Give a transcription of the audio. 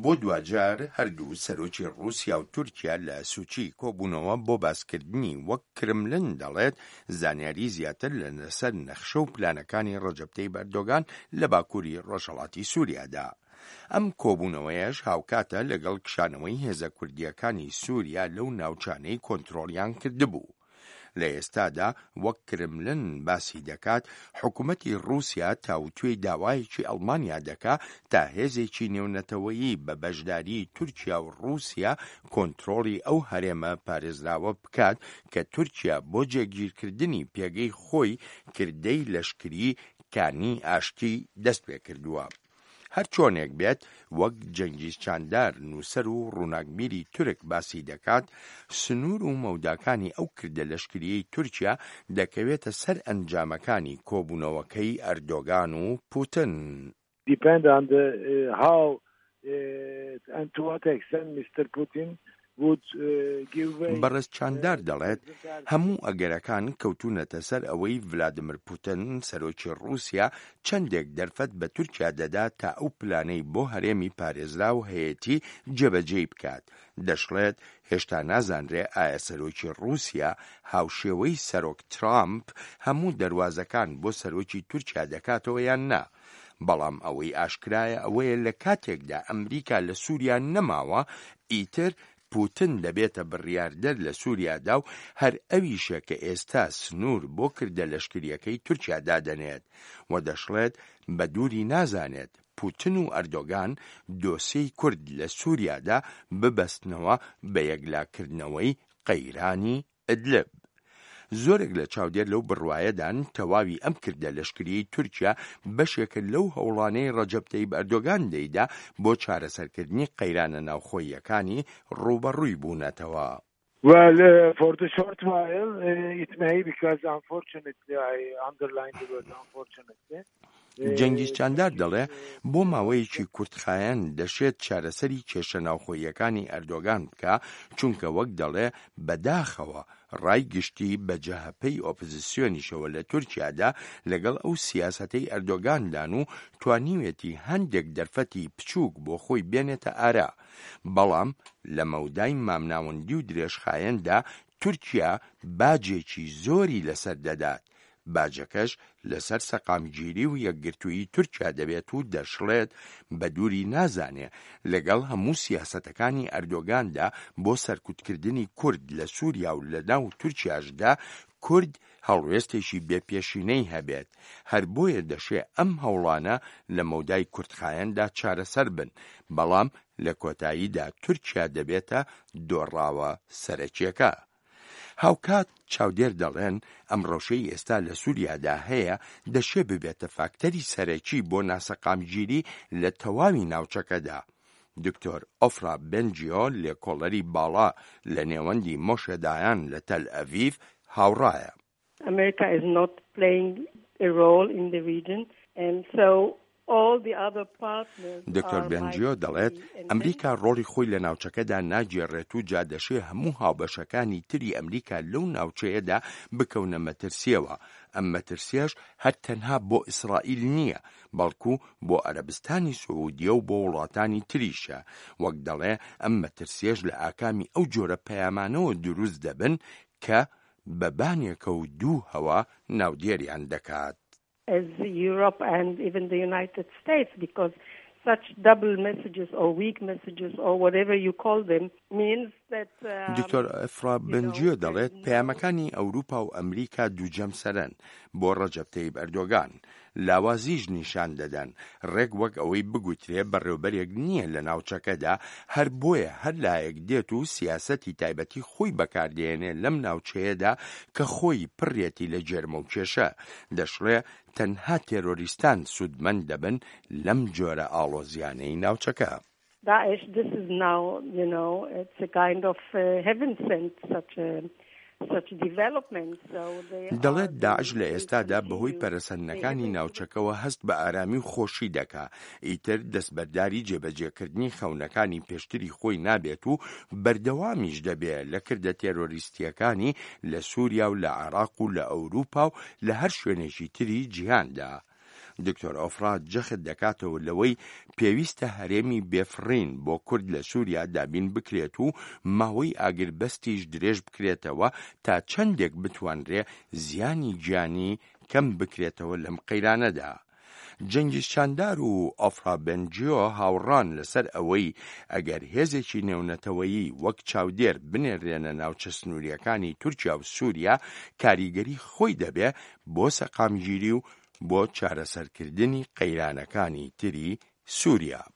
بۆ دواجار هەردوو سەرۆکی ڕووسیا و تورکیا لە سوچی کۆبوونەوە بۆ باسکردنی وەک کرملن دەڵێت زانیاری زیاتر لە لەسەر نەخشە و پلانەکانی ڕەجەب تەیب ئەردۆگان لە باکووری ڕۆژهەڵاتی سووریادا. ئەم کۆبوونەوەیەش هاوکاتە لەگەڵ کشانەوەی هێزە کوردییەکانی سووریا لەو ناوچانەی کۆنترۆڵیان کردبوو. لە ئێستادا وەک کرملن باسی دەکات، حکومەتی ڕووسیا تاوتوێی داوایەکی ئەڵمانیا دەکا تا هێزێکی نێونەتەوەیی بە بەشداریی تورکیا و ڕووسیا کۆنترۆڵی ئەو هەرێمە پارێزراوە بکات کە تورکیا بۆ جێگیرکردنی پێگەی خۆی کردەی لەشکریی کانی ئاشتی دەستپێکردووە. هەرچۆنێک بێت، وەک جەنگیز چاندار، نووسەر و ڕووناکبیری تورک باسی دەکات، سنوور و مەوداکانی ئەو کردە لەشکرییەی تورکیا دەکەوێتە سەر ئەنجامەکانی کۆبوونەوەکەی ئەردۆگان و پوتن. Depend on the how and to what extent Mister Putin بەڕێز چاندار دەڵێت، هەموو ئەگەرەکان کەوتوونەتە سەر ئەوەی ڤلادیمیر پوتن، سەرۆکی ڕووسیا چەندێک دەرفەت بە تورکیا دەدات تا ئەو پلانەی بۆ هەرێمی پارێزراو هەیەتی جێبەجێی بکات. دەشڵێت، هێشتا نازانرێ ئایا سەرۆکی ڕووسیا هاوشێوەی سەرۆک ترامپ هەموو دەروازەکان بۆ سەرۆکی تورکیا دەکاتەوە یان نا. بەڵام ئەوەی ئاشکرایە ئەوەیە لە کاتێکدا ئەمریکا لە سووریا نەماوە، ئیتر پوتن دەبێتە بڕیاردەر لە سووریادا و هەر ئەویشە کە ئێستا سنوور بۆ کردە لەشکرییەکەی تورکیا دادەنێت و دەشڵێت بە دووری نازانێت پوتن و ئەردۆگان دۆسێی کورد لە سووریادا ببەستنەوە بە یەکلاکردنەوەی قەیرانی ئیدلب. زۆرێک لە چاودێر لەو بڕوایەدان تەواوی ئەم کردە لەشکریەی تورکیا بەشێکە لەو هەوڵانەی ڕەجەب تەیب ئەردۆگان دەیدا بۆ چارەسەرکردنی قەیرانە ناوخۆییەکانی ڕووبەڕووی بوونەتەوە. Well, for the short while, it may because unfortunately I underline the word unfortunately. جەنگیز چاندار دەڵێ، بۆ ماوەیەکی کورتخایەن دەشێت چارەسەری کێشە ناوخۆییەکانی ئەردۆگان بکا، چونکە وەک دەڵێ بەداخەوە ڕای گشتی بە جەهەپەی ئۆپزسیۆنیشەوە لە تورکیادا لەگەڵ ئەو سیاسەتەی ئەردۆگاندان و توانیوێتی هەندێک دەرفەتی بچووک بۆ خۆی بێنێتە ئارا، بەڵام لە مەودای مامناوەندی و درێژخایەندا تورکیا باجێکی زۆری لەسەر دەدات، باجەکەش لەسەر سەقامگیری و یەکگرتوویی تورکیا دەبێت و دەشڵێت، بە دووری نازانێ لەگەڵ هەموو سیاسەتەکانی ئەردۆگاندا بۆ سەرکوتکردنی کورد لە سووریا و لەناو تورکیاشدا کورد هەڵوێستێکی بێ پێشینەی هەبێت، هەر بۆیە دەشێ ئەم هەوڵانە لە مەودای کورتخایەندا چارەسەر بن، بەڵام لە کۆتاییدا تورکیا دەبێتە دۆڕاوە سەرەکیەکە. هاوکات چاودێر دەڵێن ئەم ڕەوشەی ئێستا لە سوریادا هەیە دەشێ ببێتە فاکتەری سەرەکی بۆ ناسەقامگیری لە تەواوی ناوچەکەدا. دکتۆر ئۆفرا بنجیۆ لێکۆڵەری باڵا لە نێوەندی مۆشێ دایان لە تەل ئەڤیڤ هاوڕایە. America is not playing a role in the region and so all the other partners دکتۆر بێنجیۆ دەڵێت، ئەمریکا ڕۆڵی خۆی لە ناوچەکەدا ناگێڕێت و جا دەشێ هەموو هاوبەشەکانی تری ئەمریکا لەو ناوچەیەدا بکەونە مەترسییەوە، ئەم مەترسییەش هەر تەنها بۆ ئیسرائیل نییە، بەڵکو بۆ عەرەبستانی سعودیە و بۆ وڵاتانی تریشە، وەک دەڵێ ئەم مەترسییەش لە ئاکامی ئەو جۆرە پەیامانەوە دروست دەبن کە بە بانێکە و دووهەوە ناودێریان دەکات. as Europe and even the United States because such double messages or weak messages or whatever you call them means that دکتۆر ئەفرا بنجیۆ دەڵێت پەیامەکانی ئەوروپا و ئەمریکا دووجەمسەرەن بۆ ڕەجەب تەیب ئەردۆگان لاوازیش نیشان دەدەن، ڕێک وەک ئەوەی بگوترێ بەڕێوبەرێک نییە لە ناوچەکەدا، هەر بۆیە هەر لایەک دێت و سیاسەتی تایبەتی خۆی بەکاردێنێ لەم ناوچەیەدا کە خۆی پڕیەتی لە جێرمە و کێشە. دەشڵێ تەنها تێرۆریستان سوودمەند دەبن لەم جۆرە ئاڵۆزیانەی ناوچەکە. Daesh this is now you know it's a kind of heaven sent such a such development so they دەڵێت داعش لە ئێستادا بەهۆی پەرەسەندنەکانی ناوچەکەوە هەست بە ئارامی و خۆشی دەکا، ئیتر دەستبەرداری جێبەجێکردنی خەونەکانی پێشتری خۆی نابێت و بەردەوامیش دەبێ لە کردە تێرۆریستییەکانی لە سووریا و لە عێراق و لە ئەوروپا و لە هەر شوێنێکی تری جیهاندا. دکتۆر ئۆفرا جەخت دەکاتەوە لەوەی پێویستە هەرێمی بێفڕین بۆ کورد لە سووریا دابین بکرێت و ماوەی ئاگربەستیش درێژ بکرێتەوە تا چەندێک بتوانرێ زیانی گیانی کەم بکرێتەوە لەم قەیرانەدا. جەنگیز چاندار و ئۆفرا بنجیۆ هاوڕان لەسەر ئەوەی ئەگەر هێزێکی نێونەتەوەیی وەک چاودێر بنێرێنە ناوچە سنووریەکانی تورکیا و سووریا کاریگەری خۆی دەبێ بۆ سەقامگیری و بۆ چارەسەرکردنی قەیرانەکانی تری سووریا.